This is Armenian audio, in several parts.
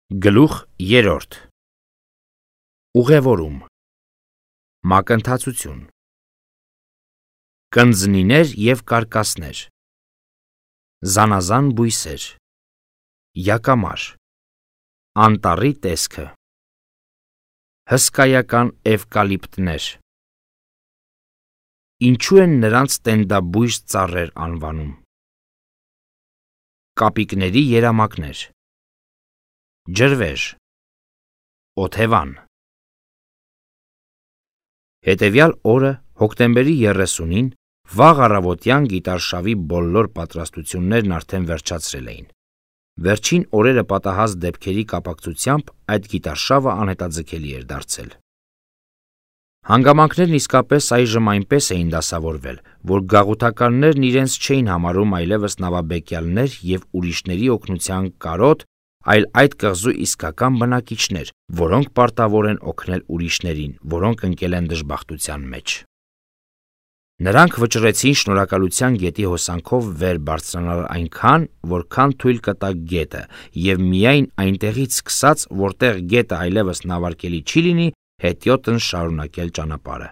Գլուխ 3 Ուղևորում Մակընթացություն Կնձնիներ և կարկասներ Զանազան բույսեր Յակամար Անտառի տեսքը Հսկայական էվկալիպտներ Ինչու են նրանց տենդաբույժ ծառեր անվանում Կապիկների երամակներ Ջրվեժ Օթևան Հետևյալ օրը հոկտեմբերի 30-ին վաղ առավոտյան գիտարշավի բոլոր պատրաստություններն արդեն վերջացրել էին։ Վերջին օրերը պատահած դեպքերի կապակցությամբ այդ գիտարշավը անհետաձգելի էր դարձել։ Հանգամանքներն իսկապես այժմ այնպես էին դասավորվել, որ գաղութականներն իրենց չէին համարում այլևս նավաբեկյալներ և ուրիշների օգնության կարոտ, այլ այդ կղզու իսկական բնակիչներ, որոնք պարտավոր են օգնել ուրիշներին, որոնք ընկել են դժբախտության մեջ։ Նրանք վճռեցին շնորհակալության գետի հոսանքով վեր բարձրանալ այնքան, որքան թույլ կտա գետը, և միայն այնտեղից սկսած, որտեղ գետը այլևս նավարկելի չի լինի, հետիոտն շարունակել ճանապարհը։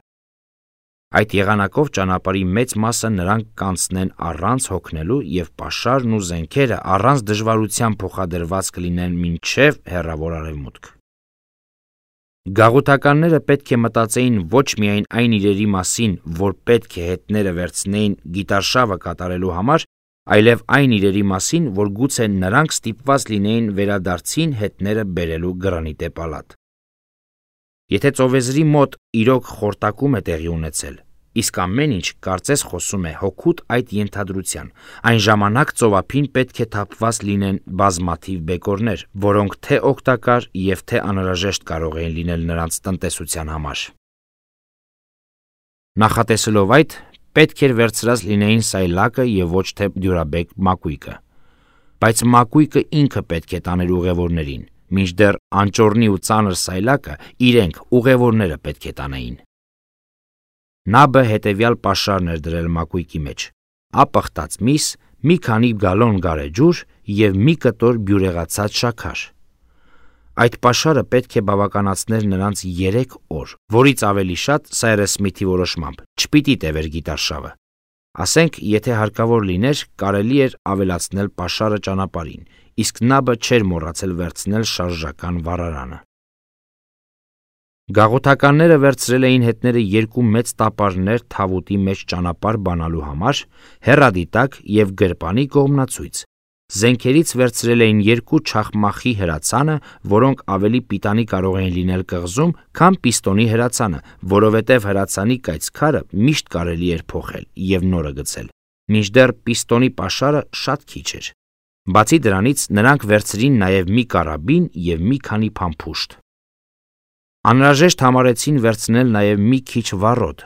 Այդ եղանակով ճանապարհի մեծ մասը նրանք կանցնեն առանց հոգնելու և պաշարն ու զենքերը առանց դժվարության փոխադրված կլինեն մինչև հեռավոր արևմուտք։ Գաղութականները պետք է մտածեին ոչ միայն այն իրերի մասին, որ պետք է հետները վերցնեին գիտարշավը կատարելու համար, այլև այն իրերի մասին, որ գուցե նրանք ստիպված լինեին վերադարձին հետները բերելու գրանիտե պալատ։ Եթե ծովեզրի մոտ իրոք խորտակում է տեղի ունեցել, իսկ ամեն ինչ կարծես խոսում է հօգուտ այդ ենթադրության, այն ժամանակ ծովափին պետք է թափված լինեն բազմաթիվ բեկորներ, որոնք թե օգտակար և թե անհրաժեշտ կարող էին լինել նրանց տնտեսության համար։ Նախատեսելով այդ, պետք էր վերցրած լինեին սայլակը և ոչ թե դյուրաբեկ մակույկը։ Բայց մակույկը ինքը պետք է տաներ ուղևորներին, մինչդեռ անճոռնի ու ծանր սայլակը իրենք ուղևորները պետք է տանեին։ Նաբը հետևյալ պաշարն էր դրել մակույկի մեջ՝ ապխտած միս, մի քանի գալոն գարեջուր և մի կտոր բյուրեղացած շաքար։ Այդ պաշարը պետք է բավականացներ նրանց 3 օր, որից ավելի շատ Սայրս Սմիթի որոշմամբ չպիտի տևեր գիտարշավը։ Ասենք, եթե հարկավոր լիներ, կարելի էր ավելացնել պաշարը ճանապարհին, իսկ Նաբը չէր մոռացել վերցնել շարժական վառարանը։ Գաղութականները վերցրել էին հետները 2 մեծ տապարներ թավուտի մեջ ճանապարհ բանալու համար, հեռադիտակ և գրպանի կողմնացույց։ Զենքերից վերցրել էին 2 չախմախի հրացանը, որոնք ավելի պիտանի կարող էին լինել կղզում, քան պիստոնի հրացանը, որովհետև հրացանի կայծքարը միշտ կարելի էր փոխել և նորը գցել, մինչդեռ պիստոնի պաշարը շատ քիչ էր։ Բացի դրանից նրանք վերցրին նաև մի կարաբին և մի քանի փամփուշտ։ Անհրաժեշտ համարեցին վերցնել նաև մի քիչ վառոդ,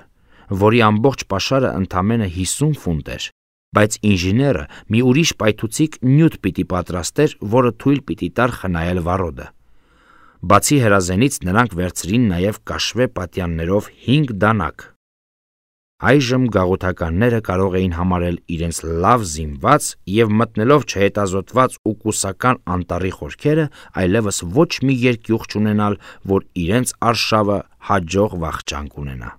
որի ամբողջ պաշարը ընդամենը 50 ֆունտ էր, բայց ինժեները մի ուրիշ պայթուցիկ նյութ պիտի պատրաստեր, որը թույլ պիտի տար խնայել վառոդը։ Բացի հրազենից նրանք վերցրին նաև կաշվե պատյաններով 5 դանակ։ Այժմ գաղութականները կարող էին համարել իրենց լավ զինված և մտնելով չհետազոտված ու կուսական անտառի խորքերը, այլևս ոչ մի երկյուղ չունենալ, որ իրենց արշավը հաջող վախճան կունենա։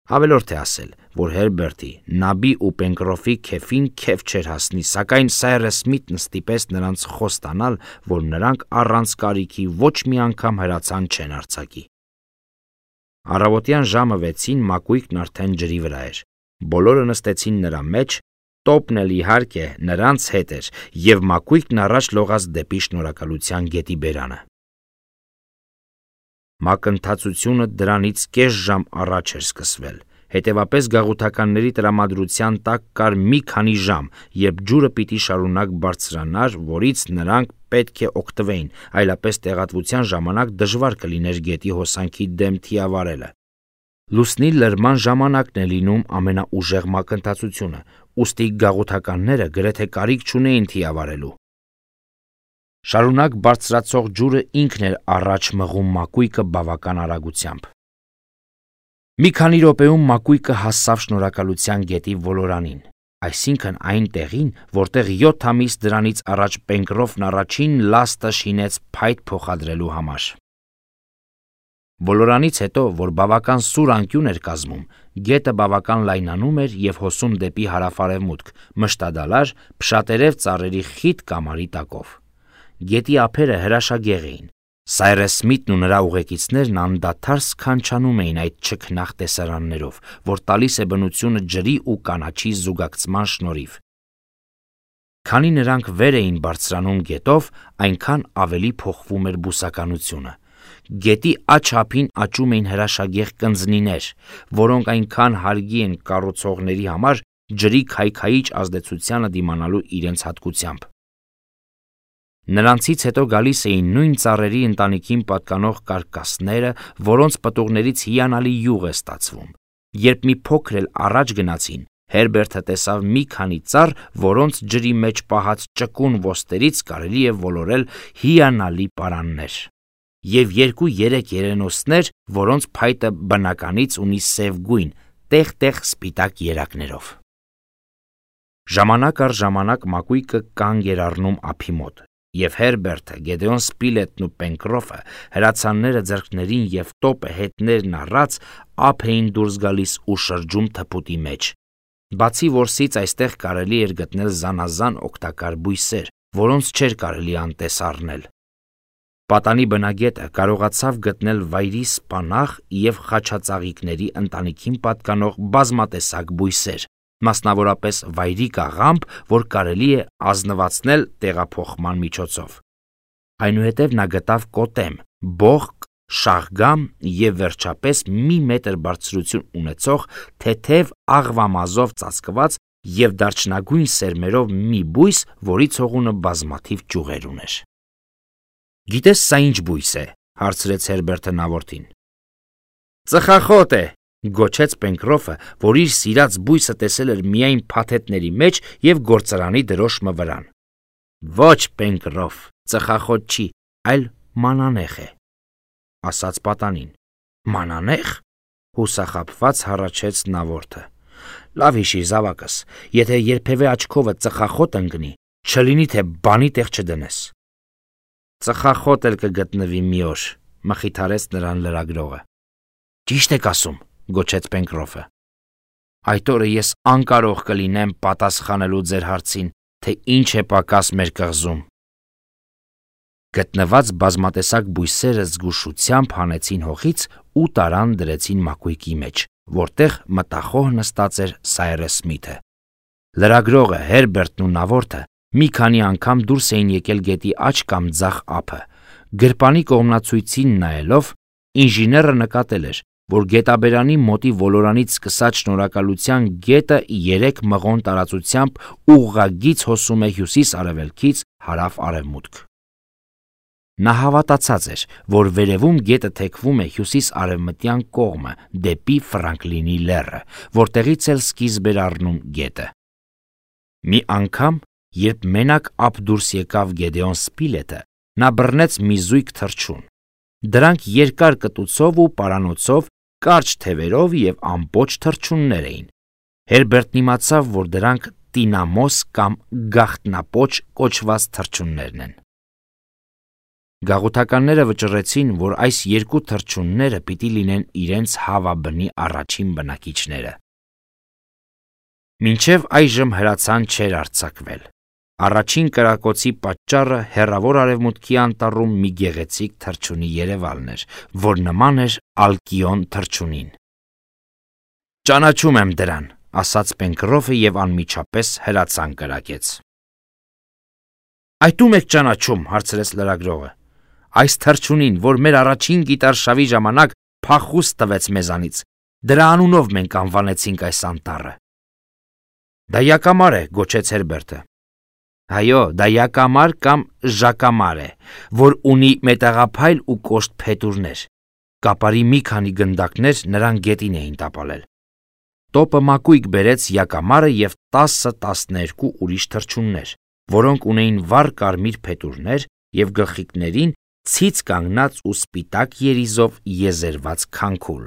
Ավելորդ է ասել, որ Հերբերտի, Նաբի ու Պենկրոֆի քեֆին քեֆ չէր հասնի, սակայն Սայրս Սմիթն ստիպեց նրանց խոստանալ, որ նրանք առանց կարիքի ոչ մի անգամ հրացան չեն արձակի։ Առավոտյան ժամը 6-ին մակույկն արդեն ջրի վրա էր։ Բոլորը նստեցին նրա մեջ, տոպն էլ իհարկե նրանց հետ էր, և մակույկն առաջ լողաց դեպի շնորհակալության գետի բերանը։ Մակընթացությունը դրանից կես ժամ առաջ էր սկսվել, հետևապես գաղութականների տրամադրության տակ կար մի քանի ժամ, երբ ջուրը պիտի շարունակ բարձրանար, որից նրանք պետք է օգտվեին, այլապես տեղատվության ժամանակ դժվար կլիներ գետի հոսանքի դեմ թիավարելը։ Լուսնի լրման ժամանակն է լինում ամենաուժեղ մակընթացությունը, ուստի գաղութականները գրեթե կարիք չունեին թիավարելու։ Շարունակ բարձրացող ջուրը ինքն էր առաջ մղում մակույկը բավական արագությամբ։ Մի քանի րոպեում մակույկը հասավ շնորհակալության գետի ոլորանին, այսինքն այն տեղին, որտեղ 7 ամիս դրանից առաջ Պենկրոֆն առաջին լաստը շինեց փայտ փոխադրելու համար։ Բոլորանից հետո, որ բավական սուր անկյուն էր կազմում, գետը բավական լայնանում էր և հոսում դեպի հարավ-արևմուտք, մշտադալար, փշատերև ծառերի խիտ կամարի տակով։ Գետի ափերը հրաշագեղ էին։ Սայրես Սմիթն ու նրա ուղեկիցներն անդադար սքանչանում էին այդ չքնաղ տեսարաններով, որ տալիս է բնությունը ջրի ու կանաչի զուգակցման շնորհիվ։ Քանի նրանք վեր էին բարձրանում գետով, այնքան ավելի փոխվում էր բուսականությունը։ Գետի աջ ափին աճում էին հրաշագեղ կնձնիներ, որոնք այնքան հարգի են կառուցողների համար ջրի քայքայիչ ազդեցությանը դիմանալու իրենց հատկությամբ։ Նրանցից հետո գալիս էին նույն ծառերի ընտանիքին պատկանող կարկասները, որոնց պտուղներից հիանալի յուղ է ստացվում։ Երբ մի փոքր էլ առաջ գնացին, Հերբերտը տեսավ մի քանի ծառ, որոնց ջրի մեջ պահած ճկուն ոստերից կարելի է ոլորել հիանալի պարաններ, և 2-3 երենոսներ, որոնց փայտը բնականից ունի սև գույն, տեղ-տեղ սպիտակ երակներով։ Ժամանակ առ ժամանակ մակույկը կանգ էր առնում ափի մոտ, և Հերբերտը, Գեդեոն Սպիլետն ու Պենկրոֆը հրացանները ձեռքներին և տոպը հետներն առած ափ էին դուրս գալիս ու շրջում թփուտի մեջ։ Բացի որսից այստեղ կարելի էր գտնել զանազան օգտակար բույսեր, որոնց չէր կարելի անտես առնել։ Պատանի բնագետը կարողացավ գտնել վայրի սպանաղ և խաչածաղիկների ընտանիքին պատկանող բազմատեսակ բույսեր, մասնավորապես վայրի կաղամբ, որ կարելի է ազնվացնել տեղափոխման միջոցով։ Այնուհետև նա գտավ կոտեմ, բողկ, շաղգամ և վերջապես 1 մետր բարձրություն ունեցող թեթև աղվամազով ծածկված և դարչնագույն սերմերով մի բույս, որի ցողունը բազմաթիվ ճյուղեր ուներ։ «Գիտես սա ինչ բույս է», հարցրեց Հերբերտը նավորդին։ «Ծխախոտ է», գոչեց Պենկրոֆը, որ իր սիրած բույսը տեսել էր միայն փաթեթների մեջ և գործարանի դրոշմը վրան։ «Ոչ, Պենկրոֆ, ծխախոտ չի, այլ մանանեխ է», ասաց պատանին։ «Մանանե՞խ», հուսախաբված հառաչեց նավորդը։ «Լավ հիշիր, զավակս, եթե երբևէ աչքովդ ծխախոտ ընկնի, չլինի թե բանի տեղ չդնես»։ «Ծխախոտ էլ կգտնվի մի օր», մխիթարեց նրան լրագրողը։ «Ճիշտ եք ասում», գոչեց Պենկրոֆը։ «Այդ օրը ես անկարող կլինեմ պատասխանելու ձեր հարցին, թե ինչ է պակաս մեր կղզում»։ Գտնված բազմատեսակ բույսերը զգուշությամբ հանեցին հողից ու տարան դրեցին մակույկի մեջ, որտեղ մտախոհ նստած էր Սայրես Սմիթը։ Լրագրողը, Հերբերտն ու նավորդը մի քանի անգամ դուրս էին եկել գետի աջ կամ ձախ ափը։ Գրպանի կողմնացույցին նայելով, ինժեները նկատել էր, որ գետաբերանի մոտի ոլորանից սկսած շնորհակալության գետը 3 մղոն տարածությամբ ուղղագիծ հոսում է հյուսիս-արևելքից հարավ-արևմուտք։ Նա հավատացած էր, որ վերևում գետը թեքվում է հյուսիս-արևմտյան կողմը դեպի Ֆրանկլինի լեռը, որտեղից էլ սկիզբ էր առնում գետը։ Մի անգամ, երբ մենակ ափ դուրս եկավ Գեդեոն Սպիլետը, նա բռնեց մի զույգ թռչուն։ Դրանք երկար կտուցով ու պարանոցով, կարճ թևերով և ամբողջ թռչուններ էին։ Հերբերտն իմացավ, որ դրանք տինամոս կամ գաղտնապոչ կոչված թռչուններն են։ Գաղութականները վճռեցին, որ այս 2 թռչունները պիտի լինեն իրենց հավաբնի առաջին բնակիչները։ Մինչև այժմ հրացան չէր արձակվել։ Առաջին կրակոցի պատճառը հեռավոր արևմուտքի անտառում մի գեղեցիկ թռչունի երևալն էր, որ նման էր ալկիոն թռչունին։ «Ճանաչում եմ դրան», ասաց Պենկրոֆը և անմիջապես հրացան կրակեց։ «Այդ ում եք ճանաչում», հարցրեց լրագրողը։ «Այս թռչունին, որ մեր առաջին գիտարշավի ժամանակ փախուստ տվեց մեզանից, դրա անունով մենք անվանեցինք այս անտառը»։ «Դա յակամար է», գոչեց Հերբերտը։ «Այո, դա յակամար կամ ժակամար է, որ ունի մետաղափայլ ու կոշտ փետուրներ։ Կապարի մի քանի գնդակներ նրան գետին էին տապալել»։ Տոպը մակույկ բերեց յակամարը և 10-12 ուրիշ թռչուններ, որոնք ունեին վառ կարմիր փետուրներ և գլխիկներին ցից կանգնած ու սպիտակ երիզով եզերված քանքուլ։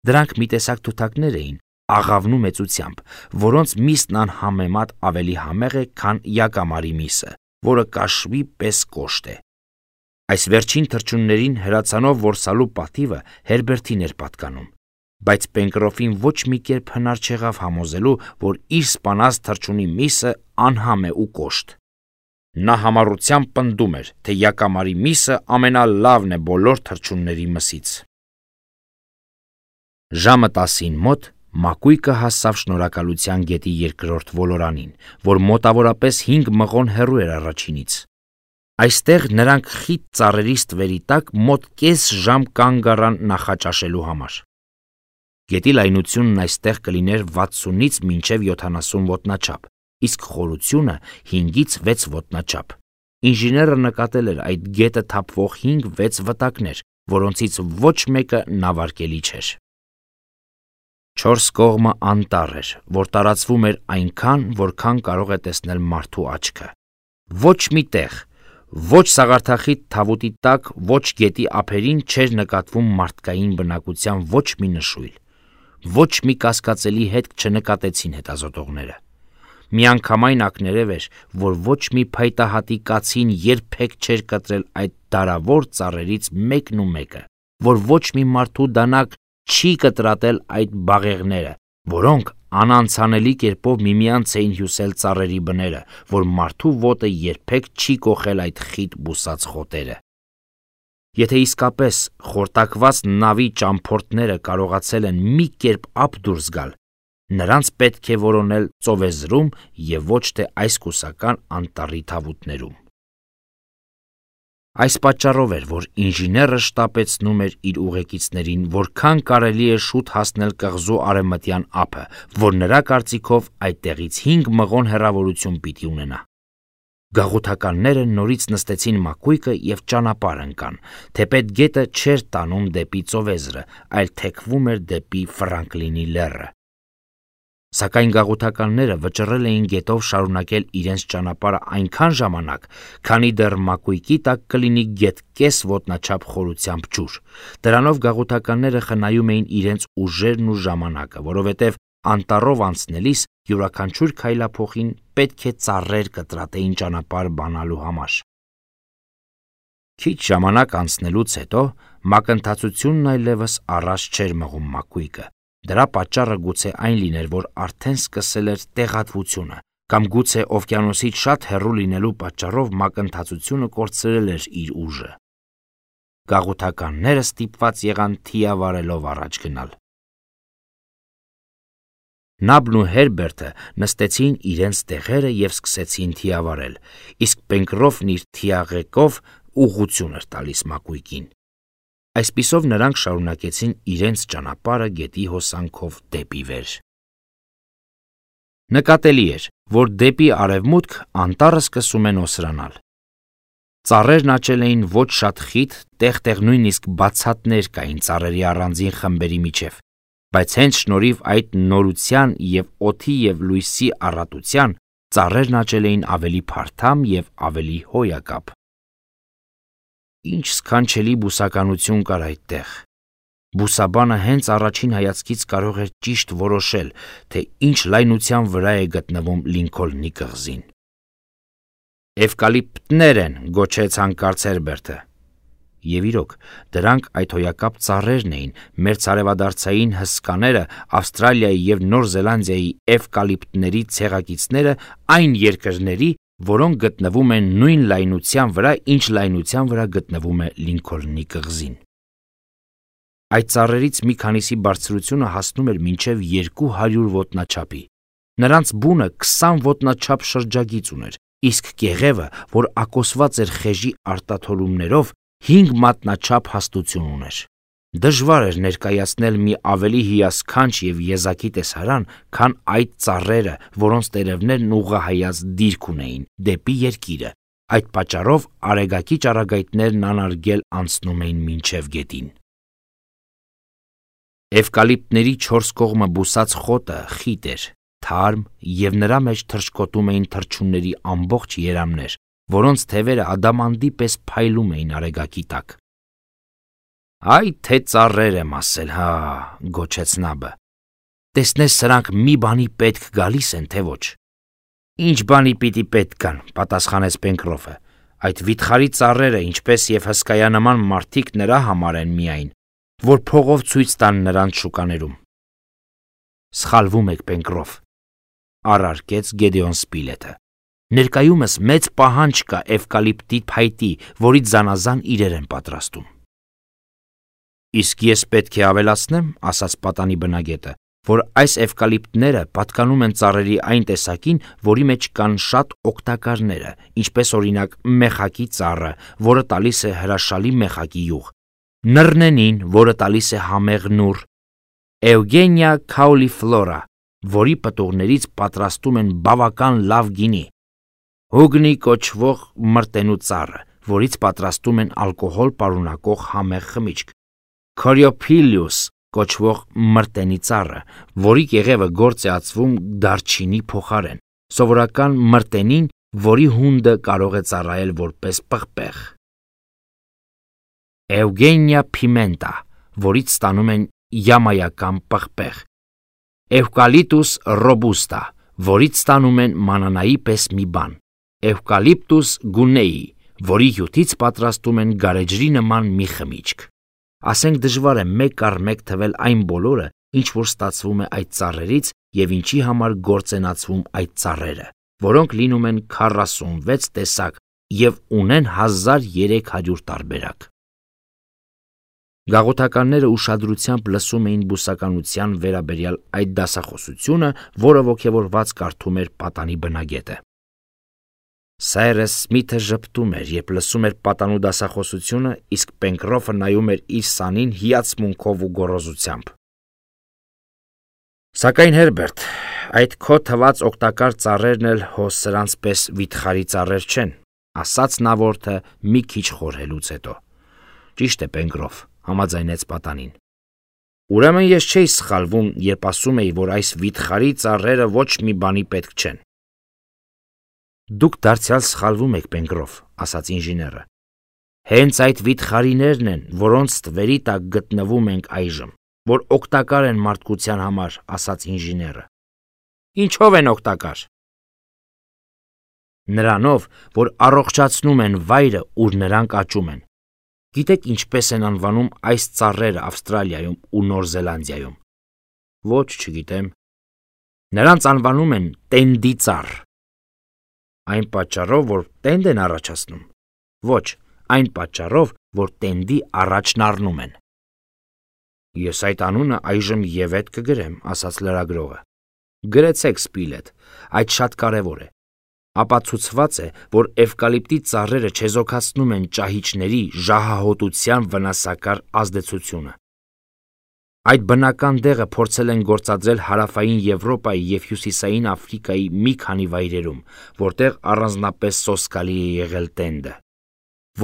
Դրանք մի տեսակ թութակներ էին, աղավնու մեծությամբ, որոնց միսն անհամեմատ ավելի համեղ է, քան յակամարի միսը, որը կաշվի պես կոշտ է։ Այս վերջին թռչուններին հրացանով որսալու պատիվը Հերբերտին էր պատկանում, բայց Պենկրոֆին ոչ մի կերպ հնար չեղավ համոզելու, որ իր սպանած թռչունի միսը անհամ է ու կոշտ։ Նա համառությամբ պնդում էր, թե յակամարի միսը ամենալավն է բոլոր թռչունների մսից։ Ժամը 10-ին մոտ Մակույկը հասավ Շնորհակալության գետի երկրորդ ոլորանին, որ մոտավորապես 5 մղոն հեռու էր առաջինից։ Այստեղ նրանք խիտ ծառերի ստվերի տակ մոտ կես ժամ կանգ առան նախաճաշելու համար։ Գետի լայնությունն այստեղ կլիներ 60-ից մինչև 70 ոտնաչափ, իսկ խորությունը 5-ից 6 ոտնաչափ։ Ինժեները նկատել էր այդ գետը թափվող 5-6 վտակներ, որոնցից ոչ մեկը նավարկելի չէր։ 4 կողմը անտառ էր, որ տարածվում էր այնքան, որքան կարող է տեսնել մարդու աչքը։ Ոչ մի տեղ, ոչ սաղարթախիտ թավուտի տակ, ոչ գետի ափերին չէր նկատվում մարդկային բնակության ոչ մի նշույլ։ Ոչ մի կասկածելի հետք չնկատեցին հետազոտողները։ Միանգամայն ակներև էր, որ ոչ մի փայտահատի կացին երբեք չէր կտրել այդ դարավոր ծառերից մեկն ու մեկը, որ ոչ մի մարդու դանակ չի կտրատել այդ բաղեղները, որոնք անանցանելի կերպով միմյանց էին հյուսել ծառերի բները, որ մարդու ոտը երբեք չի կոխել այդ խիտ բուսած խոտերը։ Եթե իսկապես խորտակված նավի ճամփորդները կարողացել են մի կերպ ափ դուրս գալ, նրանց պետք է որոնել ծովեզրում եւ ոչ թե այս կուսական անտառի թավուտներում։ Այս պատճառով էր, որ ինժեները շտապեցնում էր իր ուղեկիցներին, որքան կարելի է շուտ հասնել կղզու արևմտյան ափը, որ նրա կարծիքով այդտեղից 5 մղոն հեռավորություն պիտի ունենա։ Գաղութականները նորից նստեցին Մակույկը եւ ճանապարհ ընկան, թեպետ գետը չէր տանում դեպի ծովեզրը, այլ թեքվում էր դեպի Ֆրանկլինի լեռը։ Սակայն գաղութականները վճռել էին գետով շարունակել իրենց ճանապարհը այնքան ժամանակ, քանի դեռ Մակույկի տակ կլինի գետ կես ոտնաչափ խորությամբ ջուր։ Դրանով գաղութականները խնայում էին իրենց ուժերն ու ժամանակը, որովհետև անտառով անցնելիս յուրաքանչյուր քայլափոխին պետք է ծառեր կտրատեին ճանապարհ բանալու համար։ Քիչ ժամանակ անցնելուց հետո մակընթացությունն այլևս առաջ չէր մղում Մակույկը։ Դրա պատճառը գուցե այն լիներ, որ արդեն սկսել էր տեղատվությունը, կամ գուցե օվկիանոսից շատ հեռու լինելու պատճառով մակընթացությունը կորցրել էր իր ուժը։ Գաղութականները ստիպված եղան թիավարելով առաջ գնալ։ Նաբն ու Հերբերտը նստեցին իրենց տեղերը եւ սկսեցին թիավարել, իսկ Պենկրոֆն իր թիաղեկով ուղղություն էր տալիս Մակույկին։ Այսպիսով նրանք շարունակեցին իրենց ճանապարհը գետի հոսանքով դեպի վեր։ Նկատելի էր, որ դեպի արևմուտք անտառը սկսում է նոսրանալ։ Ծառերն աճել էին ոչ շատ խիտ, տեղ-տեղ նույնիսկ բացատներ կային ծառերի առանձին խմբերի միջև, բայց հենց շնորհիվ այդ նորության եւ օդի եւ լույսի առատության ծառերն աճել էին ավելի փարթամ եւ ավելի հոյակապ։ Ինչ սքանչելի բուսականություն կար այդտեղ։ Բուսաբանը հենց առաջին հայացքից կարող էր ճիշտ որոշել, թե ինչ լայնության վրա է գտնվում Լինքոլնի կղզին։ Էվկալիպտներ են, գոչեց հանկարծ Հերբերտը։ Եվ իրոք, դրանք այդ հոյակապ ծառերն էին, մերձարևադարձային հսկաները, Ավստրալիայի եւ Նոր Զելանդիայի էվկալիպտների ցեղակիցները այն երկրների, որոնք գտնվում են նույն լայնության վրա, ինչ լայնության վրա գտնվում է Լինքոլնի կղզին։ Այդ ծառերից մի քանիսի բարձրությունը հասնում էր մինչև 200 ոտնաչափի։ Նրանց բունը 20 ոտնաչափ շրջագիծ ուներ, իսկ կեղևը, որ ակոսված էր խեժի արտաթոլումներով, 5 մատնաչափ հաստություն ուներ։ Դժվար էր ներկայացնել մի ավելի հիասքանչ եւ եզակի տեսարան, քան այդ ծառերը, որոնց տերևներն ուղղահայաց դիրք ունեին դեպի երկիրը։ Այդ պատճառով արեգակի ճառագայթներն անարգել անցնում էին մինչև գետին։ Էվկալիպտների 4 կողմը բուսած խոտը խիտ էր, թարմ եւ նրա մեջ թռչկոտում էին թռչունների ամբողջ երամներ, որոնց թևերը ադամանդի պես փայլում էին արեգակի տակ։ Այ թե ծառեր եմ ասել, հա, գոչեց Նաբը։ տեսնես սրանք մի բանի պետք գալիս են, թե ոչ։ Ինչ բանի պիտի պետք գան, պատասխանեց Պենկրոֆը։ Այդ վիթխարի ծառերը, ինչպես եւ հսկայանման մարդիկ նրա համար են միայն, որ փողով ցույց տան նրանց շուկաներում։ Սխալվում եք, Պենկրոֆ, առարկեց Գեդեոն Սպիլետը։ Ներկայումս մեծ պահանջ կա էվկալիպտի փայտի, որից զանազան իրեր են պատրաստում։ Իսկ ես պետք է ավելացնեմ, ասաց պատանի բնագետը, որ այս էվկալիպտները պատկանում են ծառերի այն տեսակին, որի մեջ կան շատ օգտակարները, ինչպես օրինակ մեխակի ծառը, որը տալիս է հրաշալի մեխակի յուղ, նռնենին, որը տալիս է համեղ նուռ, Էուգենիա քաուլիֆլորա, որի պտուղներից պատրաստում են բավական լավ գինի, հուգնի կոչվող մրտենու ծառը, որից պատրաստում են ալկոհոլ պարունակող համեղ խմիչք, Քորիոփիլիուս կոչվող մրտենի ծառը, որի կեղևը գործ է ածվում դարչինի փոխարեն, սովորական մրտենին, որի հունդը կարող է ծառայել որպես պղպեղ, Էուգենիա փիմենտա, որից ստանում են յամայական պղպեղ, Էվկալիպտուս ռոբուստա, որից ստանում են մանանայի պես մի բան, Էվկալիպտուս գունեի, որի հյութից պատրաստում են գարեջրի նման մի խմիչք։ Ասենք դժվար է մեկ առ մեկ թվել այն բոլորը, ինչ որ ստացվում է այդ ծառերից եւ ինչի համար գործենացվում այդ ծառերը, որոնք լինում են 46 տեսակ եւ ունեն 1300 տարբերակ։ Գաղութականները ուշադրությամբ լսում էին բուսականության վերաբերյալ այդ դասախոսությունը, որը ոգևորված կարդում էր պատանի բնագետը։ Սայրս Սմիթը ժպտում էր, երբ լսում էր պատանու դասախոսությունը, իսկ Պենկրոֆը նայում էր իր սանին հիացմունքով ու գոռոզությամբ։ Սակայն Հերբերտ, այդ քո թված օգտակար ծառերն էլ հո սրանց պես վիթխարի ծառեր չեն, ասաց նա որդը մի քիչ խորհելուց հետո։ Ճիշտ է, Պենկրոֆ, համաձայնեց պատանին։ Ուրեմն ես չէի սխալվում, երբ ասում էի, որ այս վիթխարի ծառերը ոչ մի բանի պետք չեն։ Դուք դարձյալ սխալվում եք, Պենկրոֆ, ասաց ինժեները։ Հենց այդ վիթխարիներն են, որոնց ստվերի տակ գտնվում ենք այժմ, որ օգտակար են մարդկության համար, ասաց ինժեները։ Ինչով են օգտակար։ Նրանով, որ առողջացնում են վայրը, ուր նրանք աճում են։ Գիտեք ինչպես են անվանում այս ծառերը Ավստրալիայում ու Նոր Զելանդիայում։ Ոչ, չգիտեմ։ Նրանց անվանում են տենդի ծառ։ Այն պատճառով, որ տենդ են առաջացնում։ Ոչ, այն պատճառով, որ տենդի առաջն առնում են։ Ես այդ անունը այժմ եւեթ կգրեմ, ասաց լրագրողը։ Գրեցեք, Սպիլետ, այդ շատ կարևոր է։ Ապացուցված է, որ էվկալիպտի ծառերը չեզոքացնում են ճահիճների ժահահոտության վնասակար ազդեցությունը։ Այդ բնական դեղը փորձել են գործադրել հարավային Եվրոպայի եւ հյուսիսային Աֆրիկայի մի քանի վայրերում, որտեղ առանձնապես սոսկալի է եղել տենդը։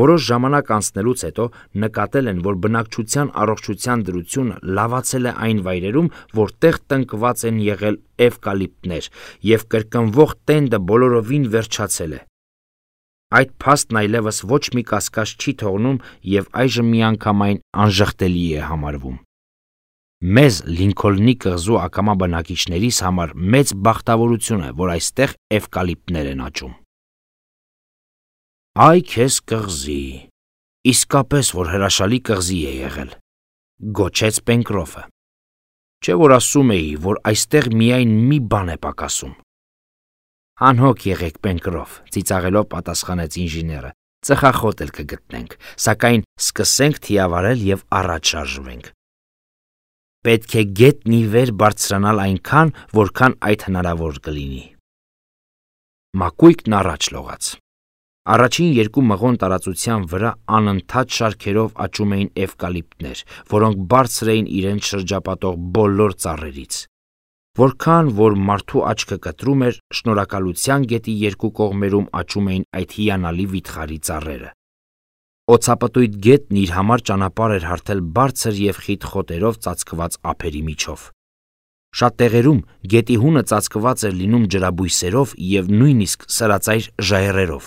Որոշ ժամանակ անցնելուց հետո նկատել են, որ բնակչության առողջության դրությունը լավացել է այն վայրերում, որտեղ տնկված են եղել էվկալիպտներ, եւ կրկնվող տենդը բոլորովին վերջացել է։ Այդ փաստն այլևս ոչ մի կասկած չի թողնում եւ այժմ միանգամայն անժխտելի է համարվում։ Մեզ Լինքոլնի կղզու ակամա բնակիչներիս համար մեծ բախտավորություն է, որ այստեղ էվկալիպտներ են աճում։ Այ քեզ կղզի, իսկապես որ հրաշալի կղզի է եղել, գոչեց Պենկրոֆը։ Չէ որ ասում էի, որ այստեղ միայն մի բան է պակասում։ Անհոգ եղեք, Պենկրոֆ, ծիծաղելով պատասխանեց ինժեները, ծխախոտ էլ կգտնենք, սակայն սկսենք թիավարել եւ առաջ շարժվենք։ Պետք է գետնի վեր բարձրանալ այնքան, որքան այդ հնարավոր կլինի։ Մակույկն առաջ լողաց։ Առաջին երկու մղոն տարածության վրա անընդհատ շարքերով աճում էին էվկալիպտներ, որոնք բարձր էին իրենց շրջապատող բոլոր ծառերից։ Որքան որ մարդու աչքը կտրում էր, Շնորհակալության գետի երկու կողմերում աճում էին այդ հիանալի վիթխարի ծառերը։ Օձապտույտ գետն իր համար ճանապարհ էր հարթել բարձր եւ խիտ խոտերով ծածկված ափերի միջով։ Շատ տեղերում գետի հունը ծածկված էր լինում ջրաբույսերով եւ նույնիսկ սրածայր ժայռերով։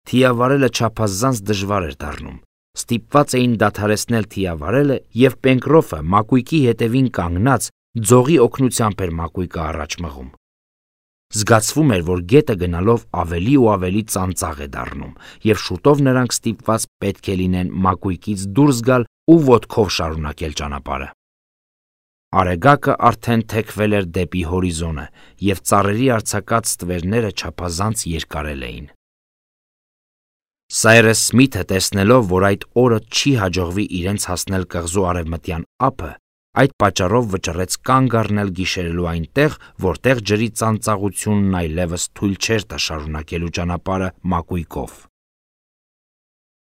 Թիավարելը չափազանց դժվար էր դառնում։ Ստիպված էին դադարեցնել թիավարելը եւ Պենկրոֆը մակույկի հետևին կանգնած Ձողի օգնությամբ էր մակույկը առաջ մղում։ Զգացվում էր, որ գետը գնալով ավելի ու ավելի ծանծաղ է դառնում, եւ շուտով նրանք ստիպված պետք է լինեն մակույկից դուրս գալ ու ոտքով շարունակել ճանապարհը։ Արեգակը արդեն թեքվել էր դեպի հորիզոնը, եւ ծառերի արձակած ստվերները չափազանց երկարել էին։ Սայրս Սմիթը, տեսնելով, որ այդ օրը չի հաջողվի իրենց հասնել կղզու արևմտյան ափը, այդ պատճառով վճռեց կանգ առնել գիշերելու այնտեղ, որտեղ ջրի ծանծաղությունն այլևս թույլ չէր տա շարունակելու ճանապարհը մակույկով։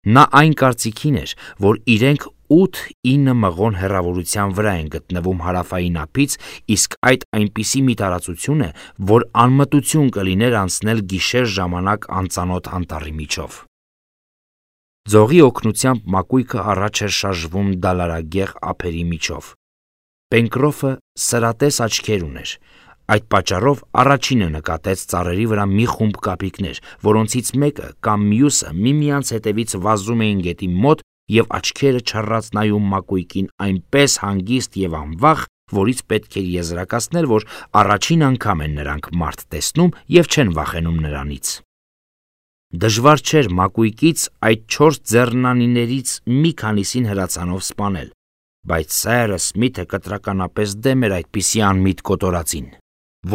Նա այն կարծիքին էր, որ իրենք 8-9 մղոն հեռավորության վրա են գտնվում հարավային ափից, իսկ այդ այնպիսի մի տարածություն է, որ անմտություն կլիներ անցնել գիշեր ժամանակ անծանոթ անտառի միջով։ Ձողի օգնությամբ մակույկը առաջ էր շարժվում դալարագեղ ափերի միջով։ Պենկրոֆը սրատես աչքեր ուներ, այդ պատճառով առաջինը նկատեց ծառերի վրա մի խումբ կապիկներ, որոնցից մեկը կամ մյուսը միմյանց հետևից վազում էին գետի մոտ եւ աչքերը չռած նայում մակույկին այնպես հանգիստ եւ անվախ, որից պետք էր եզրակացնել, որ առաջին անգամ են նրանք մարդ տեսնում եւ չեն վախենում նրանից։ Դժվար չէր մակույկից այդ 4 ձեռնանիներից մի քանիսին հրացանով սպանել, բայց Սայրս Սմիթը կտրականապես դեմ էր այդպիսի անմիտ կոտորածին,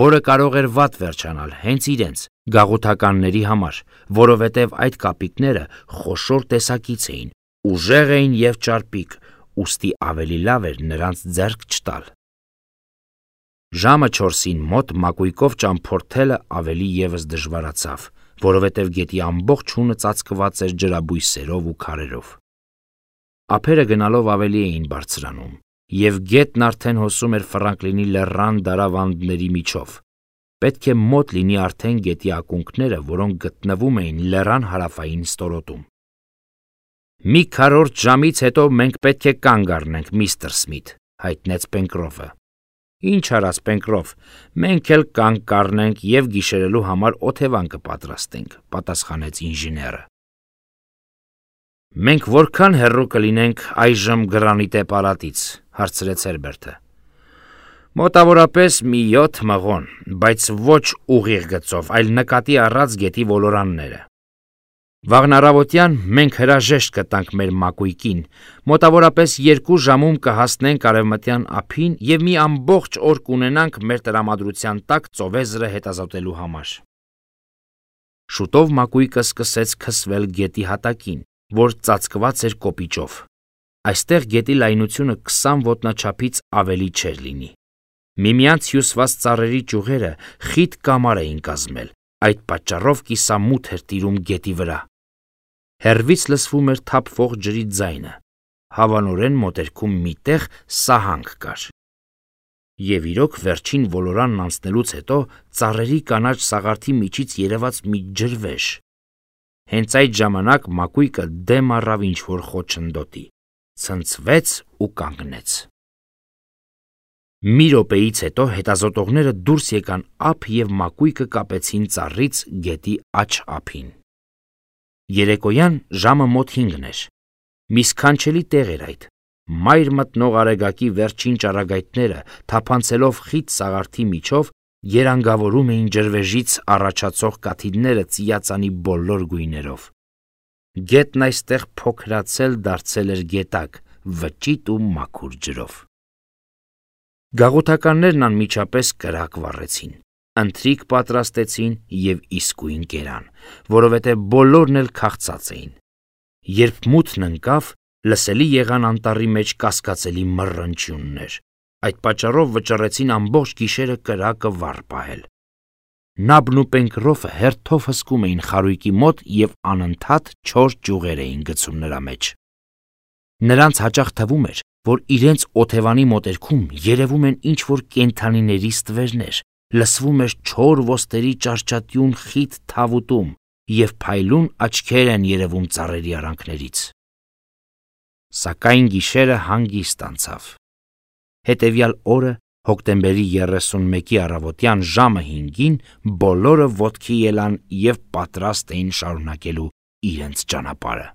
որը կարող էր վատ վերջանալ հենց իրենց գաղութականների համար, որովհետև այդ կապիկները խոշոր տեսակից էին, ուժեղ էին եւ ճարպիկ, ուստի ավելի լավ էր նրանց ձեռք չտալ։ Ժամը 4-ին մոտ մակույկով ճամփորդելը ավելի եւս դժվարացավ, որովհետև գետի ամբողջ հունը ծածկված էր ջրաբույսերով ու քարերով։ Ափերը գնալով ավելի էին բարձրանում, եւ գետն արդեն հոսում էր Ֆրանկլինի լեռան դարավանդների միջով։ Պետք է մոտ լինի արդեն գետի ակունքները, որոնք գտնվում էին լեռան հարավային ստորոտում։ Մի քառորդ ժամից հետո մենք պետք է կանգ առնենք, միստր Սմիթ, հայտնեց Պենկրոֆը։ Ինչ արած, Պենկրոֆ, մենք էլ կանգ կառնենք եւ գիշերելու համար օթևան կպատրաստենք, պատասխանեց ինժեները։ Մենք որքան հեռու կլինենք այժմ Գրանիտե պալատից, հարցրեց Հերբերտը։ Մոտավորապես մի 7 մղոն, բայց ոչ ուղիղ գծով, այլ նկատի առած գետի ոլորանները։ Վաղն առավոտյան մենք հրաժեշտ կտանք մեր մակույկին, մոտավորապես 2 ժամում կհասնենք արևմտյան ափին եւ մի ամբողջ օր կունենանք մեր տրամադրության տակ ծովեզրը հետազոտելու համար։ Շուտով մակույկը սկսեց քսվել գետի հատակին, որ ծածկված էր կոպիճով։ Այստեղ գետի լայնությունը 20 ոտնաչափից ավելի չէր լինի։ Միմյանց հյուսված ծառերի ճյուղերը խիտ կամար էին կազմել, այդ պատճառով կիսամութ էր տիրում գետի վրա։ Հեռվից լսվում էր թափվող ջրի ձայնը, հավանորեն մոտերքում միտեղ սահանք կար։ Եվ իրոք վերջին ոլորանն անցնելուց հետո ծառերի կանաչ սաղարթի միջից երևաց մի ջրվեժ։ Հենց այդ ժամանակ մակույկը դեմ առավ ինչ-որ խոչընդոտի, ցնցվեց ու կանգնեց։ Մի րոպեից հետո հետազոտողները դուրս եկան ափ եւ մակույկը կապեցին ծառից գետի աջ ափին։ Երեկոյան ժամը մոտ 5-ն էր։ Մի սքանչելի տեղ էր այդ։ Մայր մտնող արեգակի վերջին ճառագայթները, թափանցելով խիտ սաղարթի միջով, երանգավորում էին ջրվեժից առաջացող կաթիլները ծիածանի բոլոր գույներով։ Գետն այստեղ փոքրացել դարձել էր գետակ, վճիտ ու մաքուր ջրով։ Գաղութականներն անմիջապես կրակ վառեցին, ընթրիք պատրաստեցին եւ իսկույն կերան, որովհետեւ բոլորն էլ քաղցած էին։ Երբ մութն ընկավ, լսելի եղան անտառի մեջ կասկածելի մռնչյուններ։ Այդ պատճառով վճռեցին ամբողջ գիշերը կրակը վառ պահել։ Նաբն ու Պենկրոֆը հերթով հսկում էին խարույկի մոտ եւ անընդհատ 4 ճյուղեր էին գցում նրա մեջ։ Նրանց հաճախ թվում էր, որ իրենց օթևանի մոտերքում երևում են ինչ-որ կենդանիների ստվերներ, լսվում էր չոր ոստերի ճարճատյուն խիտ թավուտում եւ փայլուն աչքեր են երևում ծառերի արանքներից։ Սակայն գիշերը հանգիստ անցավ։ Հետևյալ օրը, հոկտեմբերի 31-ի առավոտյան ժամը 5-ին, բոլորը ոտքի ելան եւ պատրաստ էին շարունակելու իրենց ճանապարհը։